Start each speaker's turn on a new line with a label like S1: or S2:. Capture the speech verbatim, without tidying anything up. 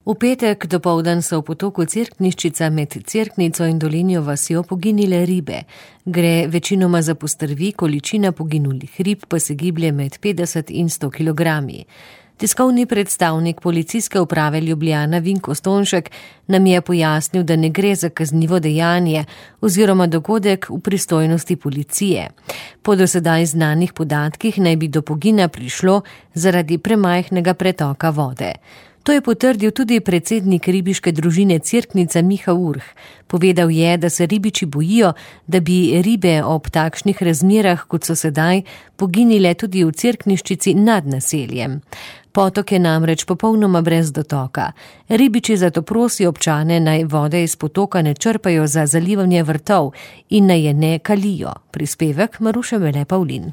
S1: V petek dopoldan so v potoku Cerkniščica med Cerknico in Dolenjo vasjo poginile ribe. Gre večinoma za postrvi, količina poginulih rib pa se giblje med petdeset in sto kilogrami. Tiskovni predstavnik Policijske uprave Ljubljana Vinko Stonšek nam je pojasnil, da ne gre za kaznivo dejanje oziroma dogodek v pristojnosti policije. Po dosedaj znanih podatkih naj bi do pogina prišlo zaradi premajhnega pretoka vode. To je potrdil tudi predsednik ribiške družine Cerknica Miha Urh. Povedal je, da se ribiči bojijo, da bi ribe ob takšnih razmerah, kot so sedaj, poginile tudi v Cerkniščici nad naseljem. Potok je namreč popolnoma brez dotoka. Ribiči zato prosijo občane, naj vode iz potoka ne črpajo za zalivanje vrtov in naj je ne kalijo. Prispevek Maruše Vele Pavlin.